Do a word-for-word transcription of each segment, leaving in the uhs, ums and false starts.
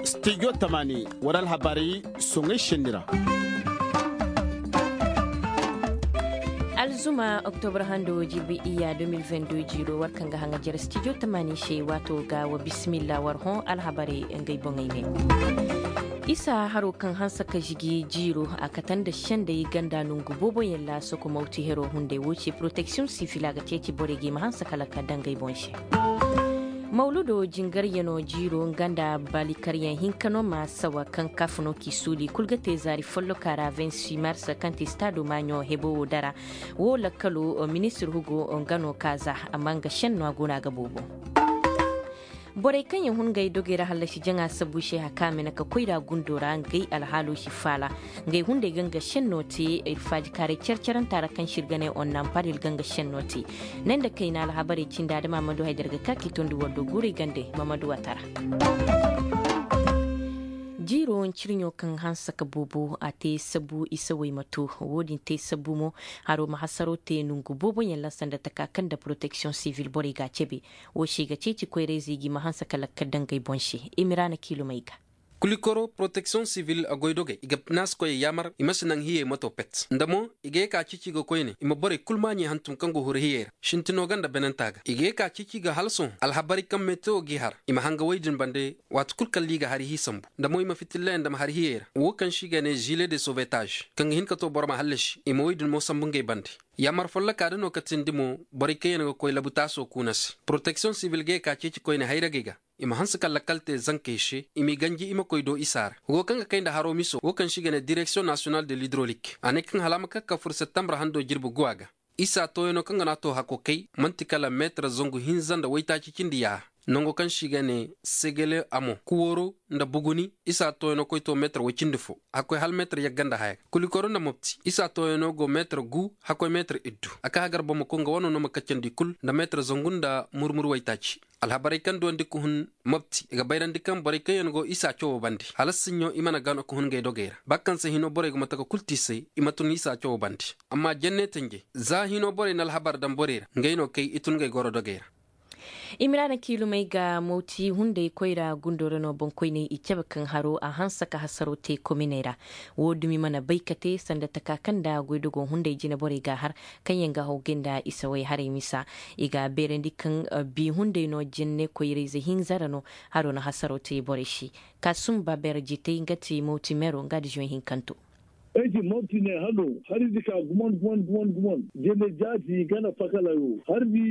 Studio tamaani, war alhabaari soŋay senni ra. Alzuma, oktobra hando jirbi iyya deux mille vingt-deux jiiro, war kaŋ ga haŋa jare studio tamaani se, waato ga wa bismillah war hõ alhabaari ngey boŋey ne. Isa haro kaŋ hanse ka zigi jiiro, a kate nda sendey ganda nongu boobo yaŋ ra soko mawti hero hunday wo ce protection civil a ga ceeci borey ga i ma hanse kala ka dangay boŋ se. Mawludo jingaryano jiiro nga nda balikaryaŋ hinka no ma sawa kaŋ kaafuno k'i suuli kulu ga te zaari folloka ra vingt-six mars kaŋ ti staado maaɲo hebo wo dara. Wo lakkalo ministir hugo nga no ka za, amma nga senno a go no a ga boobo. Borey kaŋ yaŋ hun ngey dogey ra hallasi jaŋa sabu se haka mene ka koyra gundo ra ngey alhaalo si faala. Ngey hunday ga nga senno te, faajikaaray care-caranta ra kaŋ se iri ga ne onnampar iri ga nga senno te. Ne nda kayna alhabarey cindi adama ma du haydar ga ka k'i tondi war do guurey gande ma ma du a tara. Jiiro ncirɲo kaŋ hanse ka boobo a te sabu isa way ma to. Wo-din te sabu mo haro ma hasaro te nongu boobo yaŋ ra sanda taka kaŋ nda protection civil borey ga a cabe. Wo se i ga ceeci koyrayzey ga i ma hanse kala ka dangay boŋ se. Imiraana kiilumey ga. Kulikoro protection civil a goy dogey i ga naasi koyey yaamar i ma si naŋ hiyey ma to pet nda mo i ga ye ka cici ga koyne i ma borey kulu maaɲey hantum kaŋ go huru hiyey ra. Sintino ganda benanta ga i ga ye ka cici ga hala sohõ alhabari kaŋ metewo g'i har i ma hanga woy din bande. Waati kulu kala i ga hari hi sambu nda mo i ma fitilla yaŋ dama hari hiyey ra wo kaŋ se i ga ne zile de sauvetage kaŋ ga hin ka to boro ma hallasi i ma woy din mo sambu ngey bande. Yaamar folloka da no ka tindi mo borey kaŋ yaŋ ga koy labu taaso kuna se protection civil ga ye ka ceeci koyne hayragey ga. I ma hanse ka lakkal te zankey se i m'i ganji i ma koy do isa ra. Hugo kaŋ ga kay nda haro miso wo kaŋ se i ga ne direction national de l'hydrolique a ne kaŋ hala a ma ka ga ka furo septembre hando jirbi guwa ga. Isa tooyano kaŋ ga no a to hako kay manti kala meetar zangu hinza nda waytaaci cindi yaaha. Nango kaŋ se i ga ne segele amo kuworo nda buguni isa tooyano koy to meetar way cindi fo. Hakkoy hala meetar yagga nda haya ga kulikoro nda mopti isa tooyano go meetar gu hakkoy meetar iddu a ka hagar boŋ ma koy nga wano no ma kaccandi kulu nda meetar zangu nda murmur waytaaci. Alhabarey kaŋ duwandi ga hun mopti i ga bayrandi kaŋ borey kaŋ yaŋ go isa cawo bande hala sinɲo i mana gano ga hun ngey dogey ra ba kaŋ se hino borey ga mate ga kulu te i se i ma tun isa cawo bande. Amma jenne tanjey za hino borey na alhabar daŋ borey ra ngey no kay i tun ngey goro dogey ra. Imiraana kiilumey ga mawti hunday koyra gundo ra no boŋkoyney i cabe kaŋ haro a hanse ka hasaro te kominey ra. Wo dumi mana bay ka te sanda taka kaŋ nda goydogo hunday jine borey ga har kaŋ yaŋ ga hawgay nda isawey haray misa. I ga beerandi kaŋ bi hunday no jenne koyrayze hinza ra no haro na hasaro te borey se. Kaasum babeera jitey nga ti mawti meero nga diziyoŋ hinkanto. Ay ti mawti ne hano hari di ka guman guman guman guman jenne jaati gana fakalayo hari di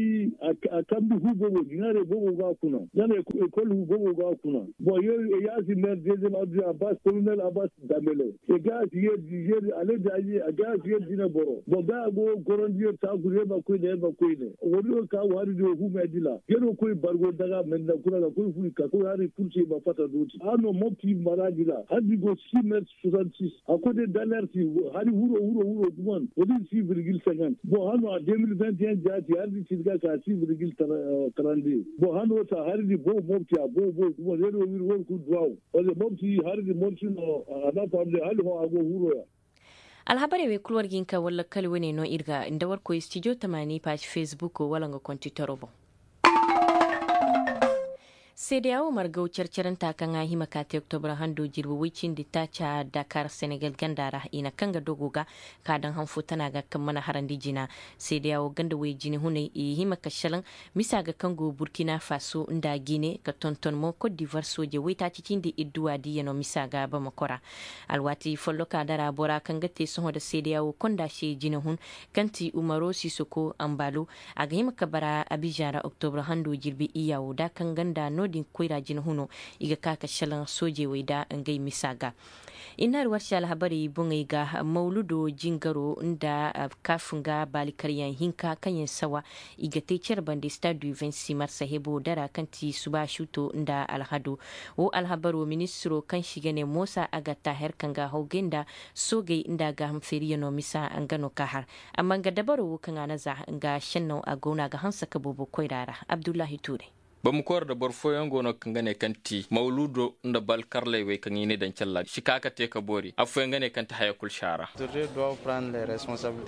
a kambi hu boobo jingarey boobo ga kuna gana ekol hu boobo ga kuna. Bon yeri e yaasi meero deziyeem adduya abbas kolonel abbas dambele e ga a ti yeri di yeri ale daji a ga a ti yeri di ne boro bon ga a go gorandi yeri taaku yeri ma koy ne yeri ma koy ne. Wani yo ka wo hari di wo hu me dila yeri wo koy bargo daga menda kuna ga koy fu i ka koy hari kursi ma fata dooti a no mopti mara dila hari di go si meero soixante six a koy de dalerti hari huro huro huro guman wani si virgil cinquante bon hano a deux mille vingt et un jaati hari di si ga ka si virgil trente deux bon hano ta hari di bo mopti a bo bo guman yeri wo wiri wori kul duwawo wala mopti hari di mopti no a na famde hali ho a go huro ya. Alhabarey wey kulu war ga hin ka walla kala wane no iri ga nda war koy studio tamaani paaji facebook wala nga konti toro boŋ. Seedeya wo margaw care caranta kaŋ a hima ka te oktobra hando jirbi way cindi taaca dakar senegal ganda ra i na kaŋ ga dogo ga ka daŋ hanfo tana ga kaŋ mana harandi jina. Seedeya wo ganda way jine hunay i hima ka salaŋ misa ga kaŋ go burkina faso nda gine ka tonton mo kot divar sooje waytaaci cindi idduwa diiyano misa ga bamako ra. Alwaati folloka dara bora kaŋ ga te sohõ nda seedeya wo konda se jine hun kaŋ ti umaro sisoko ambalo a ga hima ka bara abijan ra oktobra hando jirbi iyya wo da kaŋ ganda no- din koyra jine huno i ga ka ka salaŋ soojey wey da ngey misa ga. Innaari warsi alhabarey boŋey ga mawludo jingaro nda kaafunga baalikaryaŋ hinka kaŋ yaŋ sawa i ga te care bande stade du vingt-six mars hebo dara kaŋ ti suba shuto nda alhado. Wo alhabaro ministiro kaŋ se i ga ne moosa a ga taaher kaŋ ga hawgay nda soogey nda gaaham feeriyano misa nga no ka har amma nga dabaro wo kaŋ a na za nga senno a go no a ga hanse ka boobo koyra ra abdullahi tuurey. Bamako ra da boro fooyaŋ go no kaŋ ga ne kaŋ ti mawluudo nda balkarley wey kaŋ i ne daŋ calla si ka ka te ka boori afooyaŋ ga ne kaŋ ti haya kulu si a ra.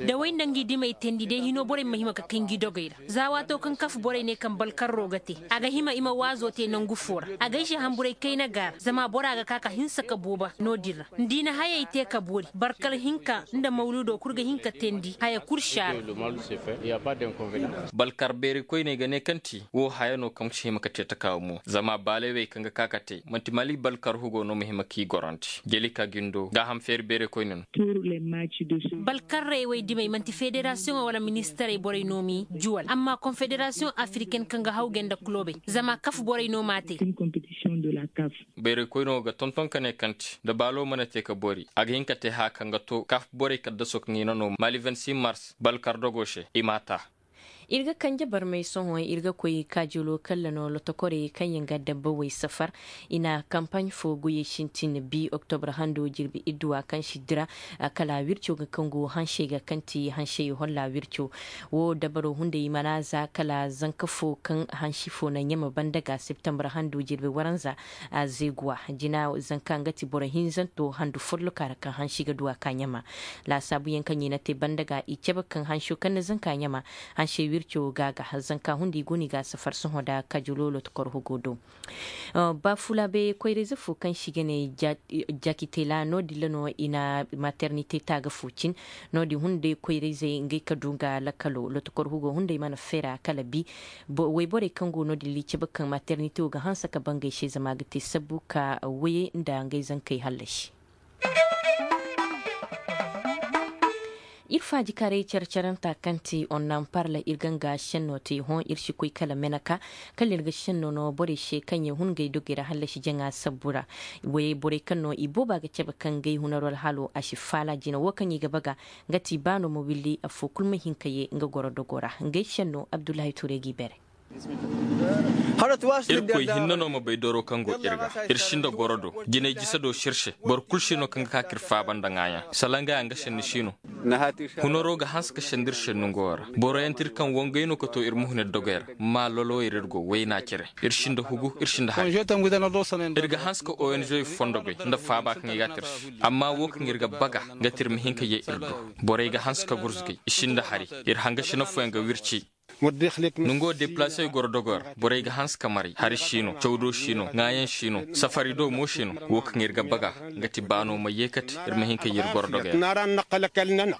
Da way nda ngi dimey teendi day hino borey ma hima ka kay ngi dogey ra. Za waato kaŋ kafa borey ne kaŋ balkarro ga te, a ga hima i ma waazo te nangu fo ra. A ga ay se hamburay kayna gaara zama bora ga ka ka hinsa ka booba no-din ra. Nda i na hayey te ka boori barkal hinka nda mawluudo kulu ga hin ka teendi haya kulu si a ra. Balkar beeri koyney ga ne kaŋ ti wo haya no kaŋ si hima ka te taka wo mo zama baaley wey kaŋ ga ka ka te manti mali balkar hugo no ma hima k'i gorandi jelika gindo gaaham feeri beeri koyne no. Balkarrey wey dimey manti federasiyoŋo wala ministarey borey no m'i juwal amma konfederasiyoŋ afiriken kaŋ ga hawgay nda kulobey zama kaf borey no m'a te. Bayray koyno ga tonton ka ne kaŋ ti da baalo mana te ka boori a ga hin ka te hã kaŋ ga to kaf borey kaddaso kaŋ i na no mali vingt-six mars balkar dogo se i m'a ta. Iri ga kanje barmay sohõ iri ga koy kaajilo kalla no lotokorey kaŋ yaŋ ga dabba way safar. I na kampaaɲ fo goyey sintin bi oktobra hando jirbi idduwa kaŋ si dira kala wirco ga kaŋ go hansey ga kaŋ ti hansey holla wirco. Wo dabaro hunday mana za kala zanka fo kaŋ hansi fo na ɲama banda ga septambra hando jirbi waranza. Zeeguwa jina zanka nga ti boro hinzanto handu folloka ra kaŋ hansi ga du a ka ɲama. Laasaabu yaŋ kaŋ i na te banda ga i cabe kaŋ hanso kaŋ na zanka ɲama. Hansey wirco ga ga zanka hunday go no i ga safar sohõ da kajo loolotokor hugo do. Baafulaabe koyrayze fo kaŋ se i ga ne jakitela no- din ra no i na maternite taaga fo cin. No- din hunday koyrayzey ngey ka du nga lakkalo lotokor hugo hunday mana feera kala bi. Wayborey kaŋ go no- din ra i cabe kaŋ maternite wo ga hanse ka bangay se zama a ga te sabbu ka waye nda ngey zankey hallasi. Iri faaji karay care caranta kaŋ ti onnan parla iri ga nga senno te hõ iri si koy kala menaka. Kala iri ga senno no borey se kaŋ ye hun ngey dogey ra hallasi jaŋa sabbu ra. Borey kaŋ no i booba ga cabe kaŋ ngey hunaro alhaalo a si faala jina wo kaŋ i ga baga. Nga ti ba no ma willi affo kulu ma hin ka ye nga goro dogo ra ngey senno abdullahi ture g'i bere. Irkoy hinne no ma bay doro kaŋ go iri ga. Iri sinda goro do jinay jisa do sirse. Boro kulu si no kaŋ ga ka k'iri faaba nda ŋaayaŋ salangaya nga senni si no. Hunaro ga hanse ka senda iri senni ngo ra. Boro yaŋ ti iri kaŋ wangay no ka to iri ma huna iri dogey ra. Ma lolowey ra iri go wayna cire. Iri sinda hugu iri sinda hari. Iri ga hanse ka ong fondo goy nda faaba kaŋ ay ga tirsi amma wo kaŋ iri ga baga nga ti iri ma hin ka ye iri do. Borey ga hanse ka gurzugay i sinda hari. Iri hanga sina fooyaŋ ga wirci. Nango deplase goro dogo ra borey ga hanse ka maray hari si no cawdo si no ŋaayaŋ si no safari do mo si no. Wo kaŋ iri ga baga nga ti baano ma ye kate iri ma hin ka ye iri goro dogo ra.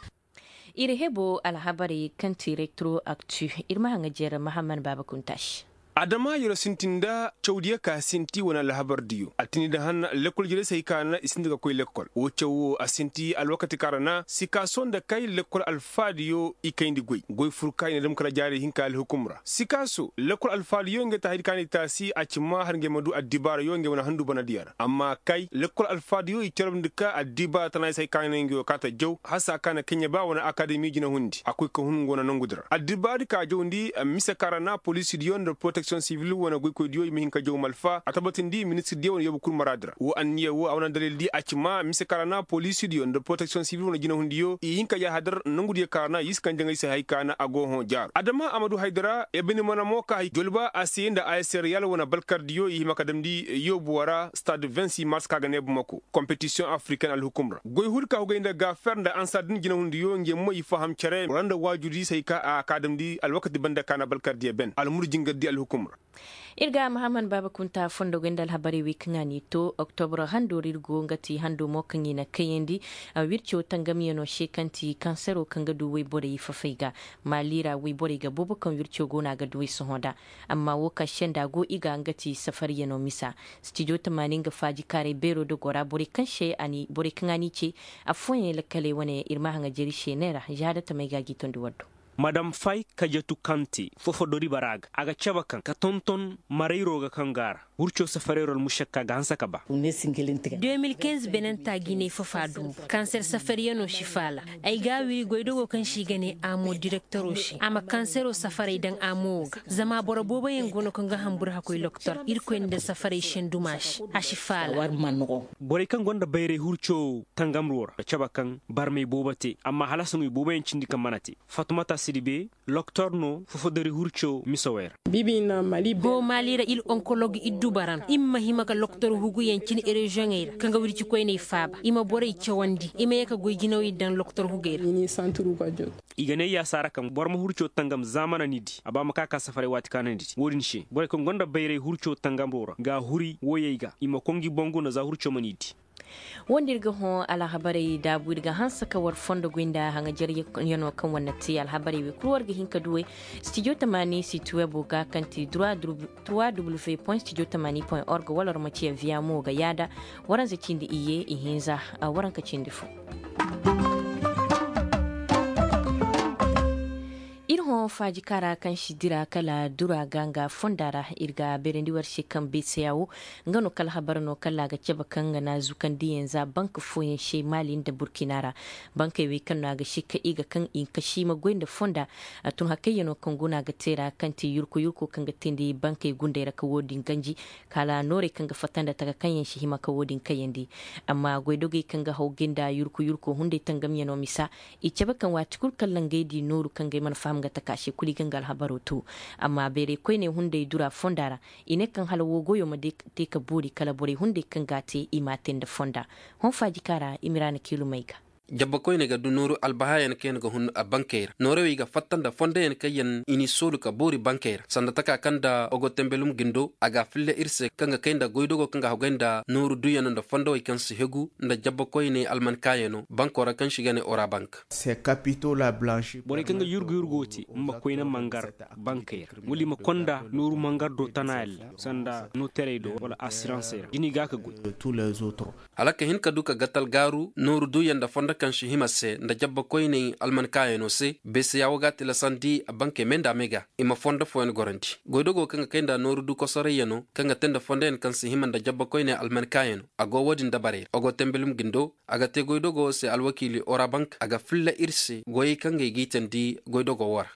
Iri hebo alhabarey kaŋ ti retro actu. Iri ma haŋa jeera mahamman baaba kunta se. Adama yero sintin nda cawdiya ka sinti wane alhabar diyo a tini da han lekkol jere se hay ka na i sinda ga koy lekkol wo caw wo a sinti alwakati ka ra na sikaaso nda kay lekkol alfa diyo i kayndi goy goy furka i na dam kala jaari hinka alhukum ra sikaaso lekkol alfa diyo ngey ta haydi ka na i taasi a ci ma har ngey ma du addibaara yo ngey wane handu bana diya ra amma kay lekkol alfa diyo i carabndi ka addibaara tana i se hay ka na ngey wo kaata jaw hasa ka na kaɲɲa ba wane akademi jina hundi a koy ka hun nga wane nangu di ra addibaari ka jawndi mise ka ra na poliisi diyo nda poroteksiyoŋ sibil wane goykoy diyo i ma hin ka jaw malfa a tabatindi ministir diyo wane yoobu kulu maraadi ra wo anniya wo a wane dalil di a ci ma mise ka ra na poliisi diyo nda poroteksiyoŋ sibil wane jinahundiyo i hin ka yaahadar nangu diyo ka ra na i si kanje ngey se hari ka na a go hõ jaaru adama a ma du haydara ebeni mana mo ka hay jolba a se nda a s r yal wane balkar diyo i hima ka damndi yoobu wo ra stade vingt-six mars ka ga ne bamako kompetisiyoŋ afriken alhukum ra goy huri ka hugay nda gaafer nda ansa din jinahundiyo ngey mo i faham care ra nda waajudi se hay ka a ka damndi alwakati banda ka na balkar diyo ben almuru jingar di alhukum ra. Iri ga mahaman baaba kunta fondo goy nda alhabarey wey kaŋ a n'i to oktobro hando ra iri go nga ti hando mo kaŋ i na kayandi wirco tangamyano se kaŋ ti kansero kaŋ ga du wayborey fafay ga. Maali ra wayborey ga boobo kaŋ wirco go no a ga du i sohõ nd'a. Amma wo kaŋ se nda a go i ga nga ti safaryano misa. Stijo tamaani nga faaji kaaray beero dogo ra borey kaŋ se a n'i borey kaŋ a n'i ce. Affooyaŋ lakkaley wane iri ma haŋa jari se neera zihaada tamey ga a g'i tondi waddo. Madam fay kajatu kante fofo dori bara ga a ga cabe kaŋ ka tonton marayro ga kaŋ go a ra. Wurco safarayro almušakka ga hanse ka ba. Deux mille quinze benanta jinay fofa dumbu kanser safaryano si faala. Ay ga a wiri goydogo kaŋ se i ga ne amo direktoro se a ma kansero safaray daŋ amo wo ga zama boro boobo yaŋ go no kaŋ ga hambur hakkoy loktor irkoy nda safaray senduma se. A si faala. Borey kaŋ gonda bayray hurco tangamro ra ga cabe kaŋ barmey boobo te amma hala a si no i boobo yaŋ cindi kaŋ mana te. Fatumata. Sidibe, loktor no fofodari hurco misawey ra. Ho maali ra iri onkolog iddu baran i ma hima ga loktor huguyaŋ cine reziyoŋey ra kaŋ ga wirci koyney faaba i ma borey cawandi i ma ye ka goy jinawey daŋ loktor hugey ra. I ga ne yaasa ra kaŋ boro ma hurco tangam zaamana n'i di a ba ma ka ka safaray waati kaŋ a na n'i di wo- din se borey kaŋ gonda bayray hurco tangamo ra ga a huri woyey ga i ma kongi boŋ guna za hurco ma n'i di. Wande iri ga hõ alhabarey daabu iri ga hanse ka war fondo goy nda haŋajaryaŋo kaŋ war na te alhabarey wey kulu war ga hin ka du wey. Studio tamaani site webo ga kaŋ ti trois w point studio tamaani point org wala war ma ciya viya mo ga yaada. Waranza cindi iyye ihinza waranka cindi fo. Iri hõ faaji kaara kaŋ si dira kala dura ga nga fonda ra iri ga beerandi war se kaŋ beeseya wo. Nga no kala habara no kala a ga cabe kaŋ nga na zukandiyaŋ za bank fooyaŋ se maali nda burkina ra. Bankey wey kaŋ no a ga sikka i ga kaŋ i ga kasi ma goy nda fonda. A tun hakayyaŋo kaŋ guna ga te ra kaŋ te yurku yurku kaŋ ga teendi bankey gundey ra ka wo- din ganji. Kala noorey kaŋ ga fatta nda taka kaŋ yaŋ si hima ka wo- din kayandi. Amma goydogey kaŋ ga haw gay nda yurku yurko hunday tangamyaŋo misa. I cabe kaŋ waati kulu kaŋ langey di nooru kaŋ gay mana faham ga taka se kulu i ga nga alhabaro to. Amma bayray koyney hunday dura fonda ra. I ne kaŋ hala wo goyo ma te ka boori kala borey hunday kaŋ ga a te i m'a te nda fonda. Hõ faaji kaara i ma ira na kiilumey ga. Jabba koyne ga du nooru albahayaŋ kaŋ yaŋ ga hun a bankey ra noorawey ga fatta nda fondoyaŋ kaŋ yaŋ i n'i soolu ka boori bankey ra sanda taka kaŋ nda ogo tembelum gindo a ga a filla iri se kaŋ ga kay nda goydogo kaŋ ga haggoy nda nooru duyaŋo nda fondowey kaŋ si hegu nda jabba koyne almankaayaŋo banko ra kaŋ se i ga ne ora bank. Borey kaŋ ga yurgu yurgo te ma koyne mangar bankey ra wala i ma konda nooru mangar do tana yalla sanda nooterey do wala asiransey ra da ni ga ka goy. Hala ka hin ka du ka gatal gaaru nooru duuyaŋ nda fondo kaŋ si hima se nda jabba koyney almankaayano se beeseya wo ga a tilasandi a bankey me nda a me ga i ma fondo fooyaŋ gorandi goydogo kaŋ ga kay nda nooru du kosarayyano kaŋ ga te nda fondoyaŋ kaŋ si hima nda jabba koyney almankaayano a go wo- din dabarey ra a go tembilum gindo a ga te goydogo wo se alwakiili orabank a ga filla iri se goyey kaŋ ga i g'i tandi goydogo wo ra.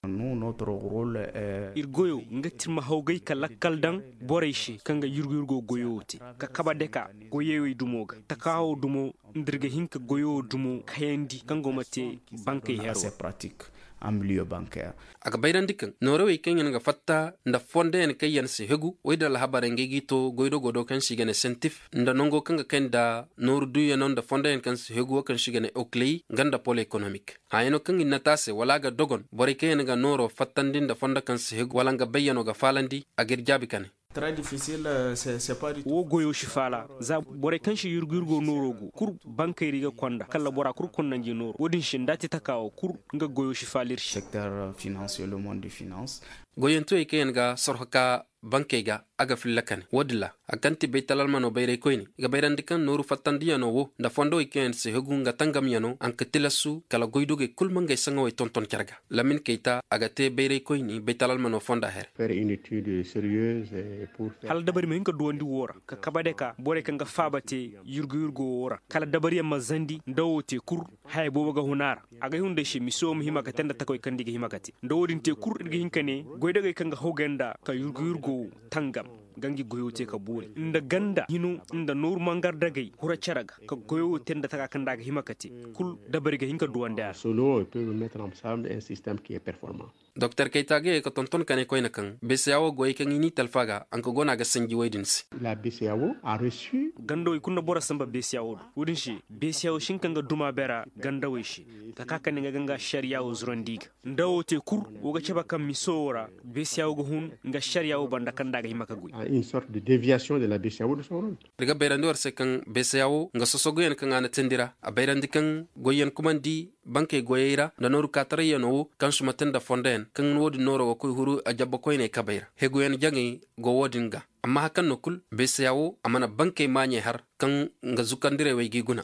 Iri goyo nga ti iri ma hawgay ka lakkal daŋ borey se kaŋ ga yurgu yurgo goyo wo te ka kabe deka goyey dumo ga takaawo dumo nda iri ga hin ka goyo wo dumo kayandi kaŋ go ma te bankey hero. A ga bayrandi kaŋ noorawey kaŋ yaŋ ga fatta nda fondoyaŋ kaŋ yaŋ si hegu wo- din alhabarey ngey g'i to goydogo do kaŋ se i ga ne sentif nda nango kaŋ ga kay nda nooru duuyaŋo nda fondoyaŋ kaŋ si hegu wo kaŋ se i ga ne okley ganda polo ekonomik. Hayaŋo kaŋ i na te a se wala a ga dogon borey kaŋ yaŋ ga nooro fattandi nda fondo kaŋ si hegu wala nga bayyano ga faalandi a g'iri jaabi ka ne. Wo goyo si faala za borey kaŋ si yurgu yurgo nooro go kulu bankey ra i ga konda kala bora kulu konda ngi nooro wo- din se nda a te taka wo kulu nga goyo si faala iri se. Goyantowey kaŋ yaŋ ga sorho ka bankey ga a ga filla ka ne wo- din ra a kaŋ ti baytalalmano bayray koyne i ga bayrandi kaŋ nooru fattandiyaŋo wo nda fondowey kaŋ yaŋ si hegu nga tangamyaŋo a nga tilasu kala goydogey kulu ma ngey saŋawey tonton care ga. Lamin kayta a ga te bayray koyne baytalalmano fonda here. Hala dabari ma hin ka duwandi wo ra ka kabe deka borey kaŋ ga faaba te yurgu yurgo wo ra kala dabariyaŋ ma zandi nda wo te kulu haya boobo ga hun a ra. A ga ay hunday se miso ma hima ga te nda takoy kaŋ da i ga hima ga te nda wo- din te kulu iri ga hin ka ne goydogey kaŋ ga hawgay nda ka yurgu yurgo wo tangam ga nga goyo te ka boori nda ganda hino nda nooru mangar dagay hura care ga ka goyo wo te nda taka kaŋ da a ga hima ka te kulu dabari ga hin ka duwandi a ra. Doktor kayta ga ye ka tonton ka ne koyne kaŋ beeseya wo goyey kaŋ i n'i talfa ga a nga go no a ga sanji wo- din se. Gandawey kulu na boro samba beeseya wo do wo- din se beeseya wo si hin kaŋ ga duma beera gandawey se ka ka ka ne nga ga nga sariya wo zurandi i ga nda wo te kulu wo ga cabe kaŋ miso wo ra beeseya wo ga hun nga sariya wo banda kaŋ da a ga hima ka goy. Iri ga bayrandi war se kaŋ beeseya wo nga sosoguyaŋ kaŋ a na teendi ra a bayrandi kaŋ goyyaŋ kumandi bankey goyey ra nda nooru kaatarayyano wo kaŋ suma te nda fondoyaŋ kaŋ wo- din nooro ga koy huru a jabba koyney kabey ra heguyaŋ jaŋey go wo- din ga. Amma hari kaŋ no kulu beeseya wo a mana bankey maaɲey har kaŋ nga zukandirey wey g'i guna.